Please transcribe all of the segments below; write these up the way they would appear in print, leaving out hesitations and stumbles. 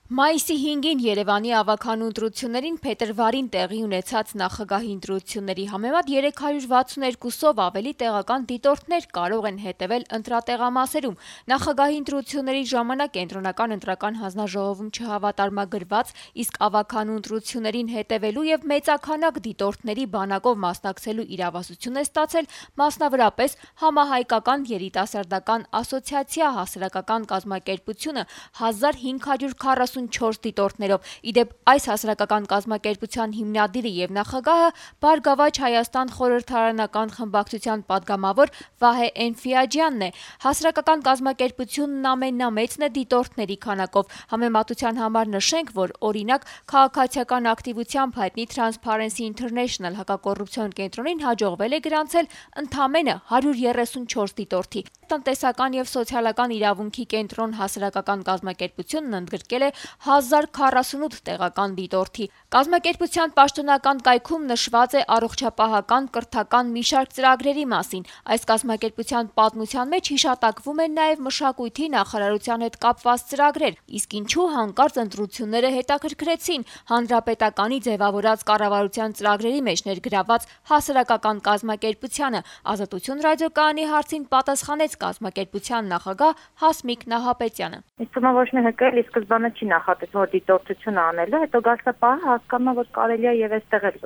Մայիսի 5-ին Երևանի ավագանու ընտրություններին փետրվարին տեղի ունեցած նախագահի ընտրությունների համեմատ 362-ով ավելի տեղական դիտորդներ կարող են հետևել ընտրատեղամասերում։ Նախագահի ընտրությունների ժամանակ Կենտրոնական ընտրական հանձնաժողովում չհավատարմագրված, իսկ ավագանու ընտրություններին հետևելու եւ մեծաքանակ դիտորդների բանակով մասնակցելու իրավասություն է ստացել մասնավորապես Համահայկական երիտասարդական ասոցիացիա հասարակական կազմակերպությունը 1544 դիտորդներով։ Իդեպ այս հասարակական կազմակերպության հիմնադիրը եւ նախագահը Բարգավաճ Հայաստան խորհրդարանական խմբակցության падգամավոր Վահե Էնֆիաջյանն է։ Հասարակական կազմակերպությունն ամենամեծն է դիտորդների քանակով։ Համեմատության համար նշենք, որ օրինակ քաղաքացիական ակտիվությամբ հայտնի Transparency International հակակոռուպցիոն կենտրոնին հաջողվել է գրանցել ընդամենը 134 դիտորդի։ Տնտեսական եւ սոցիալական իրավունքի կենտրոն հասարակական կազմակերպությունն ընդգրկել է 1048 տեղական դիտորդի։ Կազմակերպության պաշտոնական կայքում նշված է առողջապահական, կրթական մի շարք ծրագրերի մասին։ Այս կազմակերպության պատմության մեջ հիշատակվում են նաև մշակույթի նախարարության հետ կապված ծրագրեր, իսկ ինչու հանկարծ ընտրությունները հետաքրքրեցին հանրապետականի ձևավորած կառավարության ծրագրերի մեջ ներգրաված հասարակական կազմակերպությանը։ Ազատություն ռադիոկայանի հարցին պատասխանեց կազմակերպության նախագահ Հասմիկ Նահապետյանը։ Իսկ ոչ մի հեկել ի սկզբանե չի նախատեսվում, որ դիտորդություն անելու, հետո գասապահը հասկանում, որ կարելի է եւ այստեղ էլ։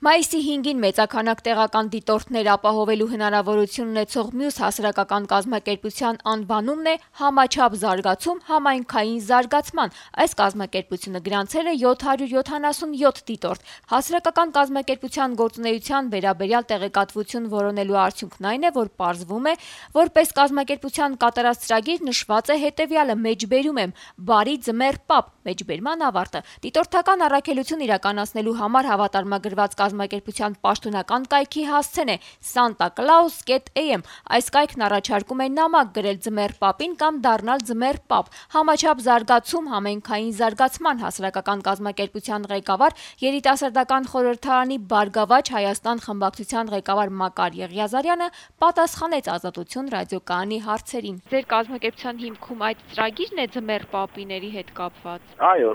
Մայիսի 5-ին մեծաքանակ տեղական դիտորդներ ապահովելու հնարավորություն ունեցող մյուս հասարակական կազմակերպության անվանումն է Համաչափ զարգացում համայնքային զարգացման։ Այս կազմակերպությունը գրանցել է 777 դիտորդ։ Հասարակական կազմակերպության գործունեության վերաբերյալ տեղեկատվություն որոնելու արդյունքն այն է, որ պարզվում է, որպես կազմակերպության կատարած ծրագիր նշված է հետևյալը՝ մեջբերում եմ բարի ձմեռ պապ, մեջբերման ավարտը։ Դիտորդական առաքելություն իրականացնելու համար հավատարմագրված կազմակերպության պաշտոնական կայքի հասցեն է santaclaus.am։ Այս կայքն առաջարկում է նամակ գրել ձմեռ պապին կամ դառնալ ձմեռ պապ։ Համաչափ զարգացում համայնքային զարգացման հասարակական կազմակերպության ղեկավար, երիտասարդական խորհրդարանի Բարգավաճ Հայաստան խմբակցության ղեկավար Մակար Եղիազարյանը պատասխանեց Ազատություն ռադիոկայանի հարցերին։ Ձեր կազմակերպության հիմքում այդ ծրագիրն է ձմեռ պապիների հետ կապված։ Այո։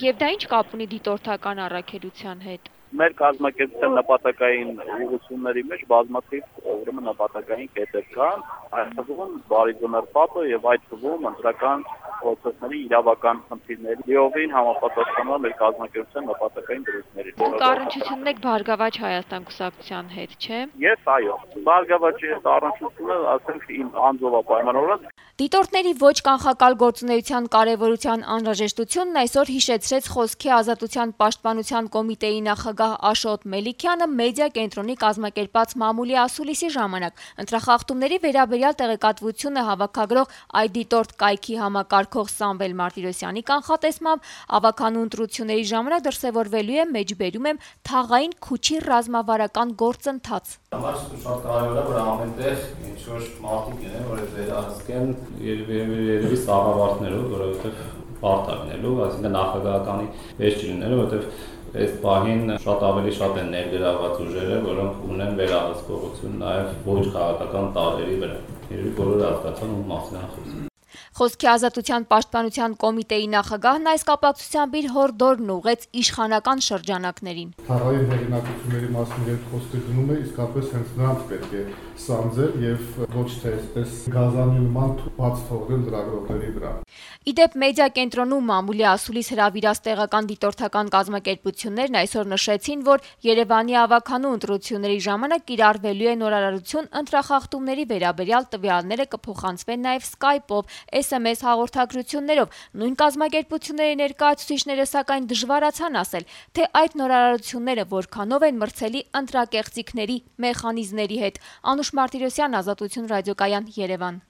Եվ դա ինչ կապ ունի դիտորդական առաքելության հետ։ Մեր կազմակերպության նպատակային ուղղությունների մեջ բազմաթիվ նպատակային կետեր կան, այդ թվում բարի ձմեռ պապը եւ այդ թվում ընտրական process-ների իրավական խնդիրների լիովին համապատասխանող մեր կազմակերպության նպատակային դրույթների։ Դուք առնչությունն եք Բարգավաճ Հայաստան կուսակցության հետ, չէ՞։ Ես այո։ Բարգավաճի հետ առնչությունը, ասենք, իմ անձով պայմանավորված։ Դիտորդների ոչ կանխակալ գործունեության կարևորության անհրաժեշտությունն այսօր հիշեցրեց Խոսքի ազատության պաշտպանության կոմիտեի նախագահ Աշոտ Մելիքյանը մեդիա կենտրոնի կազմակերպած մամուլի ասուլիսի ժամանակ։ Ընտրախախտումների վերաբերյալ տեղեկատվությունը հավաքագրող այդ դիտորդ կայքի համակարգող Սամվել Մարտիրոսյանի կանխատեսմամբ ավագանու ընտրությունների ժամանակ դրսևորվելու է մեջբերում եմ թաղային քուչի ռազմավարական գործընթաց։ Շատ կարևոր է, որ ամենտեղ ինչ-որ մարդիկ լինեն, որ վերահսկեն երևի սաղավարտներով, որովհետև պարտակնելու, այսինքն նախագահականի վեճ չլինելու, որովհետև այս պահին շատ են ներգրավված ուժերը, որոնք ունեն վերահսկողություն նաև ոչ քաղաքական տարրերի վրա։ Երևի բոլորը հասկացան ում մասին է խոսքը։ Խոսքի ազատության պաշտպանության կոմիտեի նախագահն այս կապակցությամբ իր հորդորն ուղղեց իշխանական շրջանակներին։ Թաղային հեղինակությունների մասին երբ խոսքը գնում է, իսկապես հենց նրանց պետք է սանձել եւ ոչ թե այսպես գազանի նման բաց թողնել լրագրողների վրա։ Իդեպ մեդիա կենտրոնում մամուլի ասուլիս հրավիրած տեղական դիտորդական կազմակերպություններն այսօր նշեցին, որ Երևանի ավագանու ընտրությունների ժամանակ կիրառվելու է նորարարություն ընտրախախտումների վերաբերյալ տվյալները կփոխանցվեն նաև Skype-ով, SMS հաղորդագրություններով։ Նույն կազմակերպությունների ներկայացուցիչները սակայն դժվարացան ասել, թե այդ նորարարությունները որքանով են մրցելի ընտրակեղծիքների մեխանիզմների հետ։ Անուշ Մարտիրոսյան, Ազատություն ռադիոկայան, Երևան։